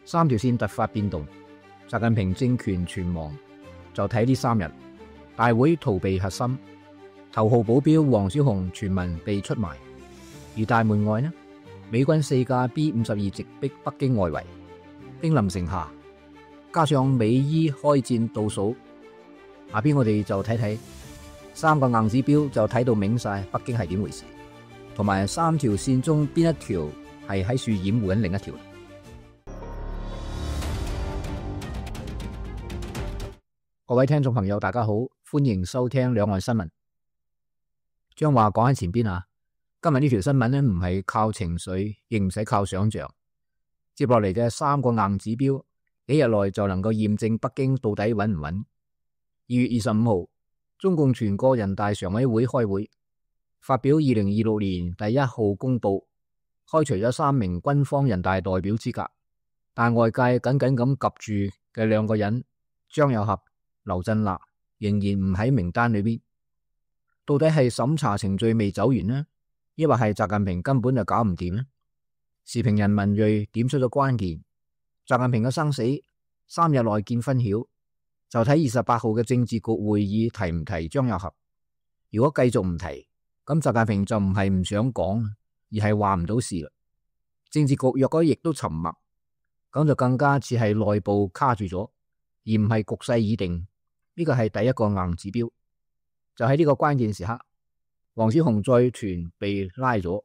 三條線突發變動，習近平政權全亡，就睇呢3日。大會逃避核心，頭號保鏢王小洪傳聞被出賣，而大門外呢，美軍4架 B-52直逼北京外圍，兵臨城下，加上美伊開戰倒數，下邊我哋就睇睇3個硬指標，就睇到明晒北京係點回事，同埋3條線中邊一條係喺處掩護緊另一條。各位聽眾朋友大家好，歡迎收聽兩岸新聞。將話講喺前邊啊，今日呢條新聞呢，唔係靠情緒，亦唔使靠想象，接落嚟嘅3個硬指標，幾日內就能夠驗證北京到底穩唔穩。2月25號，中共全國人大常委會開會，發表2026年第1號公報，開除咗3名軍方人大代表資格，但外界緊緊咁夾住嘅2個人張又俠、劉振立仍然唔喺名單裏邊，到底係審查程序未走完呢，抑或係習近平根本就搞唔掂呢？時評人文銳點出咗關鍵，習近平嘅生死3日內見分曉，就睇28號嘅政治局會議提唔提張又俠。如果繼續唔提，咁習近平就唔係唔想講，而係話唔到事啦。政治局若果亦都沉默，咁就更加似係內部卡住咗，而唔係局勢已定。呢個係第1個硬指標。就喺呢個關鍵時刻，王小洪載團被拉咗，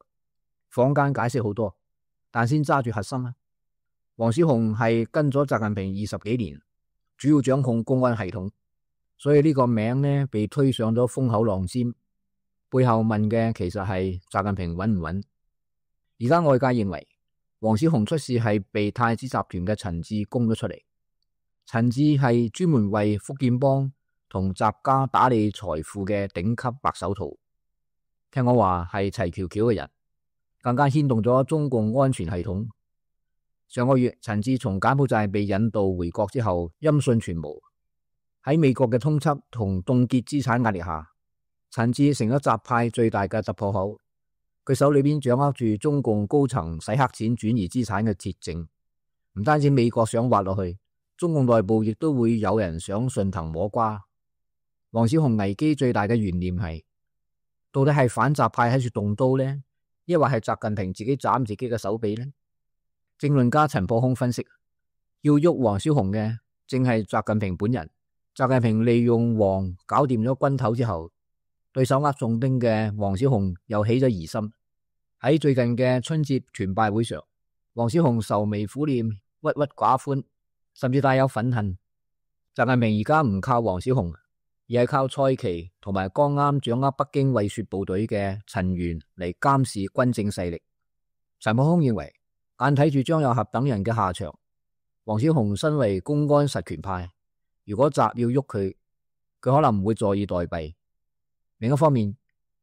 坊間解釋好多，但先揸住核心啊。王小洪係跟咗習近平20幾年，主要掌控公安系統，所以呢個名呢被推上咗風口浪尖。背後問嘅其實係習近平穩唔穩。而家外界認為王小洪出事係被太子集團嘅陳志供咗出嚟。陳志係專門為福建幫同習家打理財富嘅頂級白手套，聽我話係齊喬喬嘅人，更加牽動咗中共安全系統。上個月陳志從柬埔寨被引渡回國之後，音訊全無。喺美國嘅通緝同凍結資產壓力下，陳志成咗習派最大嘅突破口。佢手裏邊掌握住中共高層洗黑錢轉移資產嘅鐵證，唔單止美國想挖落去，中共內部亦都會有人想順藤摸瓜。王小洪危機最大嘅懸念係，到底係反習派喺處動刀呢，抑或係習近平自己斬自己嘅手臂呢？政論家陳破空分析，要喐王小洪嘅正係習近平本人。習近平利用王搞掂咗軍頭之後，對手握重兵嘅王小洪又起咗疑心。喺最近嘅春節團拜會上，王小洪愁眉苦臉、鬱鬱寡歡，甚至帶有憤恨。習近平而家唔靠王小洪，而係靠蔡奇同埋剛啱掌握北京衛戍部隊嘅陳元嚟監視軍政勢力。陳破空認為，眼睇住張又俠等人嘅下場，王小洪身為公安實權派，如果習要喐佢，佢可能唔會坐以待斃。另一方面，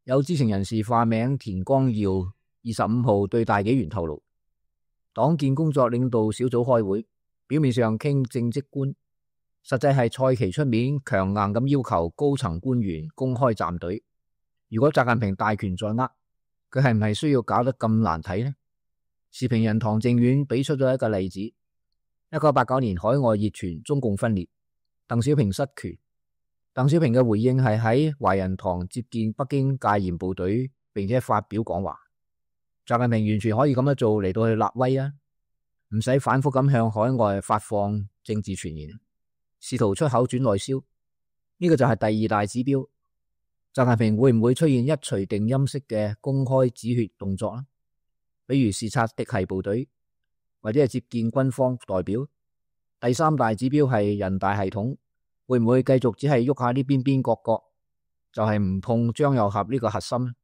有知情人士化名田光耀25號對大紀元透露，黨建工作領導小組開會，表面上傾政績觀，實際係蔡奇出面強硬咁要求高層官員公開站隊。如果習近平大權在握，佢係唔係需要搞得咁難睇呢？時評人唐正遠俾出咗一個例子：1989年海外熱傳中共分裂，鄧小平失權。鄧小平嘅回應係喺懷仁堂接見北京戒嚴部隊，並且發表講話。習近平完全可以咁樣做嚟到去立威啊，唔使反覆咁向海外發放政治傳言，試圖出口轉內銷。呢個就係第2大指標。習近平會唔會出現一錘定音式嘅公開止血動作呢？比如視察嫡系部隊，或者係接見軍方代表。第3大指標係人大系統會唔會繼續只係喐下呢邊角角，就係唔碰張又俠呢個核心，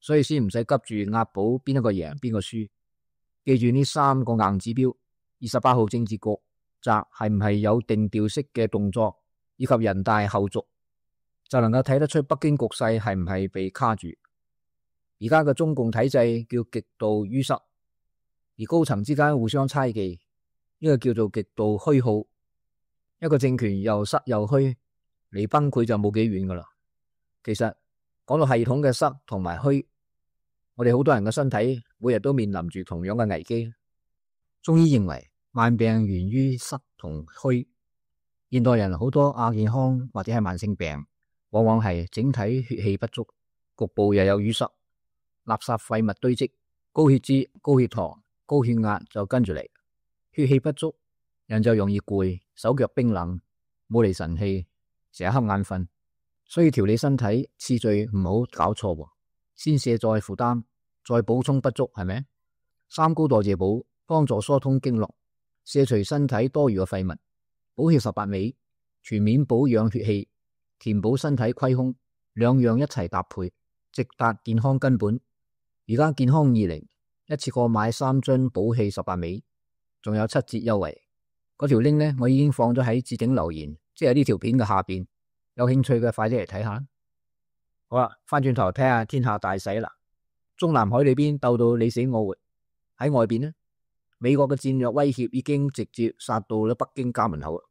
所以先唔使急住押寶邊一個贏邊個輸。記住呢3個硬指標，28號政治局習係唔係有定調式嘅動作，以及人大後續，就能夠睇得出北京局勢係唔係被卡住。而家嘅中共體制叫極度淤塞，而高層之間互相猜忌，呢個叫做極度虛耗。一個政權又塞又虛，離崩潰就冇幾遠噶啦。其實講到系統嘅塞同埋虛，我哋好多人嘅身體每日都面臨住同樣嘅危機。中醫認為慢病源於濕同虛。現代人好多亞健康或者係慢性病，往往係整體血氣不足，局部又有淤塞，垃圾廢物堆積，高血脂、高血糖、高血壓就跟住嚟。血氣不足，人就容易攰，手腳冰冷，冇嚟神氣，成日瞌眼瞓。所以調理身體次序唔好搞錯喎，先卸載負擔，再補充不足，係咪？三高代謝補幫助疏通經絡，卸除身體多餘嘅廢物，補血18味，全面保養血氣，填補身體虧空，兩樣一齊搭配，直達健康根本。而家健康20一次過買3樽補氣18味，仲有7折優惠。嗰條 link 呢，我已經放咗喺置頂留言，即係呢條片嘅下邊。有興趣嘅快啲嚟睇下。好啦，翻轉頭睇下天下大勢啦。中南海裏邊鬥到你死我活，喺外邊呢，美國嘅戰略威脅已經直接殺到咗北京家門口。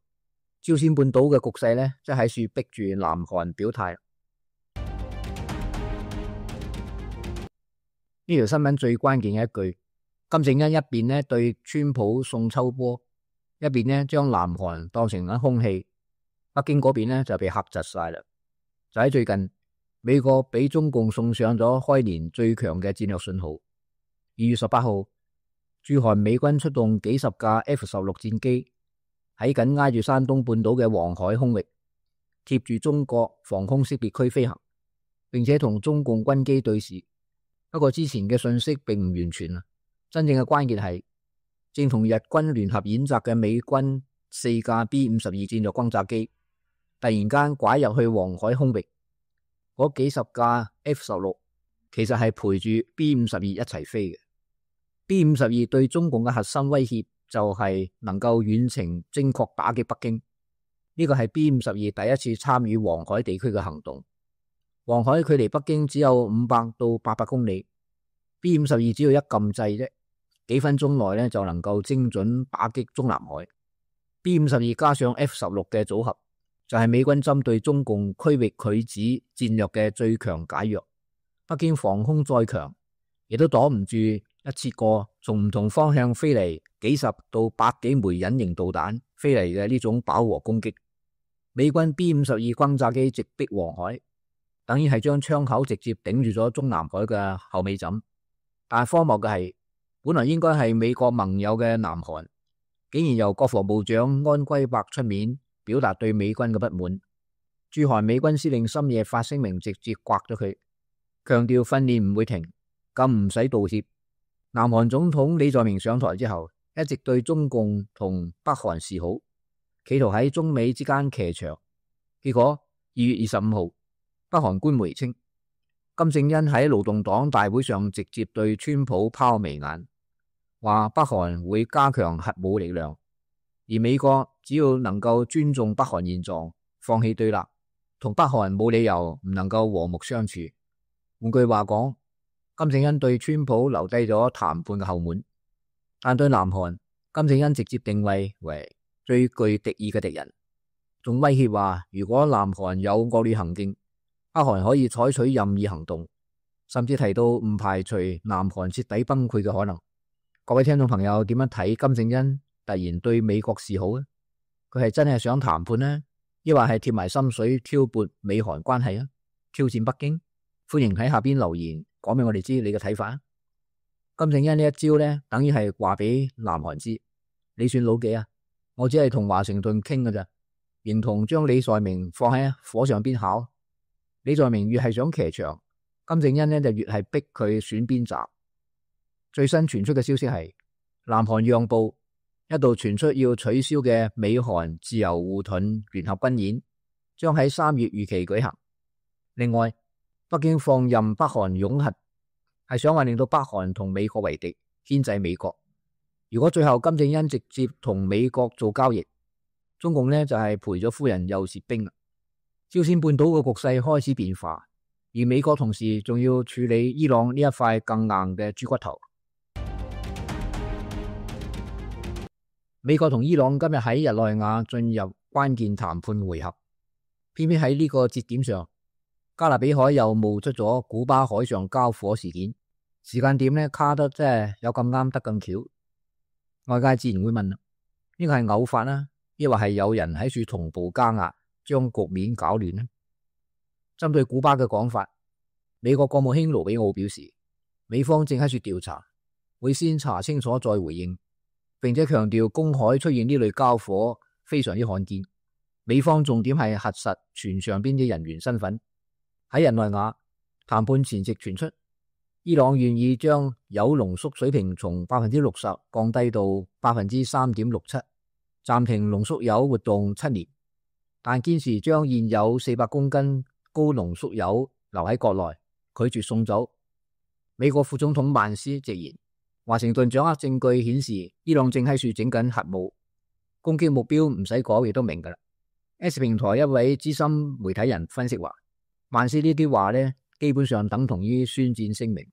朝鮮半島嘅局勢呢，即係喺處逼住南韓表態。呢條新聞最關鍵嘅一句，金正恩一邊呢對川普送秋波，一邊呢將南韓當成咗空氣。北京嗰邊呢就被嚇窒晒啦。就喺最近，美國俾中共送上咗開年最強嘅戰略信號。2月18號，駐韓美軍出動幾十架 F-16 戰機喺緊挨住山東半島嘅黃海空域，貼住中國防空識別區飛行，並且同中共軍機對視。不過之前嘅信息並唔完全啊，真正嘅關鍵係正同日軍聯合演習嘅美軍4架 B-52戰略轟炸機突然間拐入去黃海空域，嗰幾十架 F-16其實係陪住 B-52一齊飛嘅。B-52對中共嘅核心威脅就係能夠遠程精確打擊北京。呢個係 B-52第一次參與黃海地區嘅行動。黃海距離北京只有500到800公里，B-52只要一撳掣啫，幾分鐘內就能夠精準打擊中南海。B-52加上 F-16嘅組合，就係美軍針對中共區域拒止戰略嘅最強解藥。北京防空再強，亦都擋唔住一次過從唔同方向飛嚟幾十到100幾枚隱形導彈飛嚟嘅呢種飽和攻擊。美軍 B-52轟炸機直逼黃海，等於係將窗口直接頂住咗中南海嘅後尾枕。但係荒謬嘅係，本來應該係美國盟友嘅南韓，竟然由國防部長安圭伯出面表達對美軍嘅不滿。駐韓美軍司令深夜發聲明，直接刮咗佢，強調訓練唔會停，更唔使道歉。南韓總統李在明上台之後，一直對中共同北韓示好，企圖喺中美之間騎牆。結果2月25號，北韓官媒稱，金正恩喺勞動黨大會上直接對川普拋眉眼，話北韓會加強核武力量，而美國只要能夠尊重北韓現狀，放棄對立，同北韓冇理由唔能夠和睦相處。換句話講，金正恩對川普留低咗談判嘅後門，但對南韓，金正恩直接定位為最具敵意嘅敵人，仲威脅話如果南韓有惡劣行徑，北韓可以採取任意行動，甚至提到唔排除南韓徹底崩潰嘅可能。各位聽眾朋友點樣睇金正恩突然對美國示好呢？佢係真係想談判呢，抑或係貼埋心水挑撥美韓關係啊？挑戰北京？歡迎喺下邊留言講俾我哋知你嘅睇法啊！金正恩呢一招呢，等於係話俾南韓知，你算老幾啊？我只係同華盛頓傾㗎咋，形同將李在明放喺火上邊烤。李在明越係想騎牆，金正恩呢就越係逼佢選邊站。最新傳出嘅消息係，南韓讓步，一度傳出要取消嘅美韓自由護盾聯合軍演，將喺3月如期舉行。另外，北京放任北韓擁核，係想話令到北韓同美國為敵，牽制美國。如果最後金正恩直接同美國做交易，中共呢就係賠咗夫人又蝕兵啦。朝鮮半島嘅局勢開始變化，而美國同時仲要處理伊朗呢一塊更硬嘅豬骨頭。美國同伊朗今日喺日內瓦進入關鍵談判回合，偏偏喺呢個節點上，加勒比海又冒出咗古巴海上交火事件，時間點呢卡得真係有咁啱得咁巧。外界自然會問，呢個係偶發啦，抑或係有人喺處同步加壓，將局面搞亂呢？針對古巴嘅講法，美國國務卿盧比奧表示，美方正喺處調查，會先查清楚再回應，並且強調公海出現呢類交火非常之罕見。美方重點係核實船上邊啲人員身份。喺日內瓦談判前夕傳出，伊朗願意將鈾濃縮水平從 60% 降低到 3.67%， 暫停濃縮鈾活動7年，但堅持將現有400公斤高濃縮鈾留喺國內，拒絕送走。美國副總統曼斯直言，華盛頓掌握證據顯示伊朗正喺處整緊核武，攻擊目標唔使講亦都明㗎啦。S 平台一位資深媒體人分析話，曼斯呢啲話呢，基本上等同於宣戰聲明，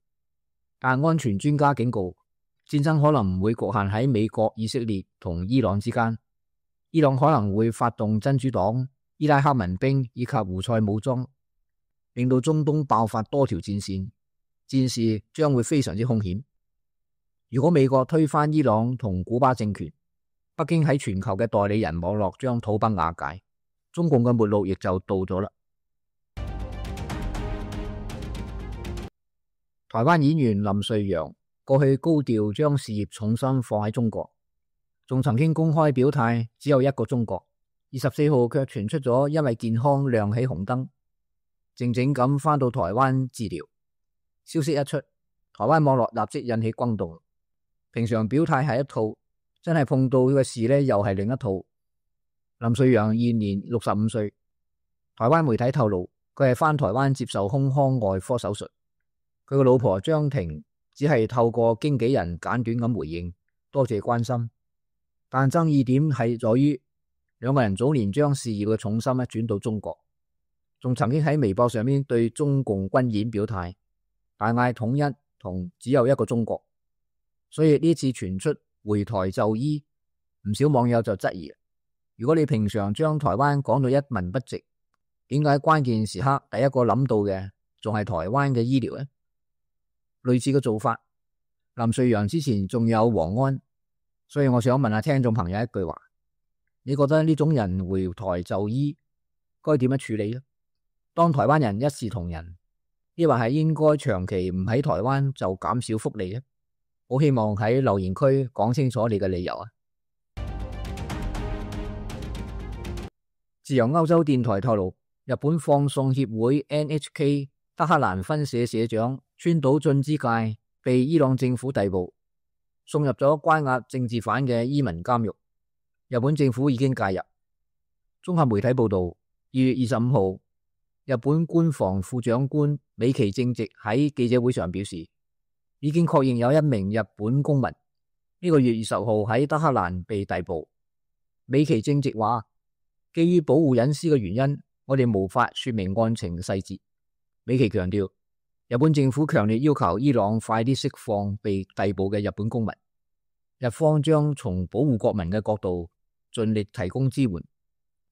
但安全專家警告，戰爭可能唔會局限喺美國、以色列同伊朗之間，伊朗可能會發動真主黨、伊拉克民兵以及胡塞武裝，令到中東爆發多條戰線，戰事將會非常之兇險。如果美國推翻伊朗同古巴政權，北京喺全球嘅代理人網絡將土崩瓦解，中共嘅末路亦就到咗啦。台灣演員林瑞陽過去高調將事業重心放喺中國，仲曾經公開表態只有一個中國。24號卻傳出咗因為健康亮起紅燈，靜靜咁返到台灣治療。消息一出，台灣網絡立即引起轟動。平常表態係一套，真係碰到嘅事呢又係另一套。林瑞陽現年65歲，台灣媒體透露佢係返台灣接受胸腔外科手術。佢個老婆張婷只係透過經紀人簡短咁回應，多謝關心。但爭議點係在於兩個人早年將事業嘅重心轉到中國，仲曾經喺微博上面對中共軍演表態，大嗌統一同只有一個中國。所以呢次傳出回台就醫，唔少網友就質疑，如果你平常將台灣講到一文不值，點解關鍵時刻第一個諗到嘅仲係台灣嘅醫療呢？類似嘅做法，林瑞陽之前仲有黃安，所以我想問下聽眾朋友一句話，你覺得呢種人回台就醫該點樣處理呢？當台灣人一視同仁，抑或係應該長期唔喺台灣就減少福利呢？好希望喺留言區講清楚你嘅理由啊！自由歐洲電台透露，日本放送協會 NHK 德克蘭分社社長川島俊之介被伊朗政府逮捕，送入咗關押政治犯嘅伊文監獄。日本政府已經介入。綜合媒體報道，2月25號，日本官房副長官美崎正直喺記者會上表示，已經確認有一名日本公民呢個月20號喺德克蘭被逮捕。美崎正直話，基於保護隱私嘅原因，我哋無法說明案情細節。美崎強調，日本政府強烈要求伊朗快啲釋放被逮捕嘅日本公民，日方將從保護國民嘅角度盡力提供支援。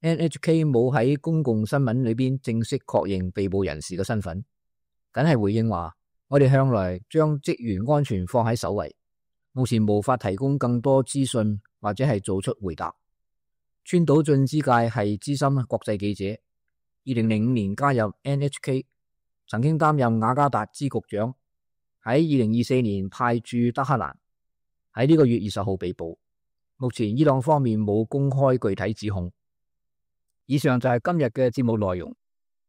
NHK 冇喺公共新聞裏邊正式確認被捕人士嘅身份，僅係回應話，我哋向來將職員安全放喺首位，目前無法提供更多資訊或者係做出回答。川島俊之介係資深國際記者，2005年加入 NHK， 曾經擔任雅加達支局長，喺2024年派駐德克蘭，喺呢個月20號被捕。目前伊朗方面冇公開具體指控。以上就係今日嘅節目內容，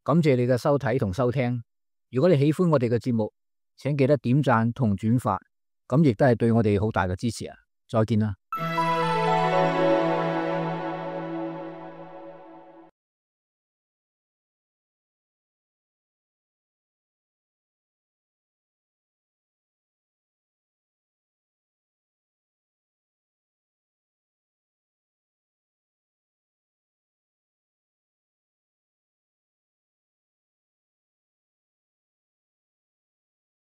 感謝你嘅收睇同收聽。如果你喜歡我哋嘅節目，請記得點讚同轉發，咁亦都係對我哋好大嘅支持啊！再見啦。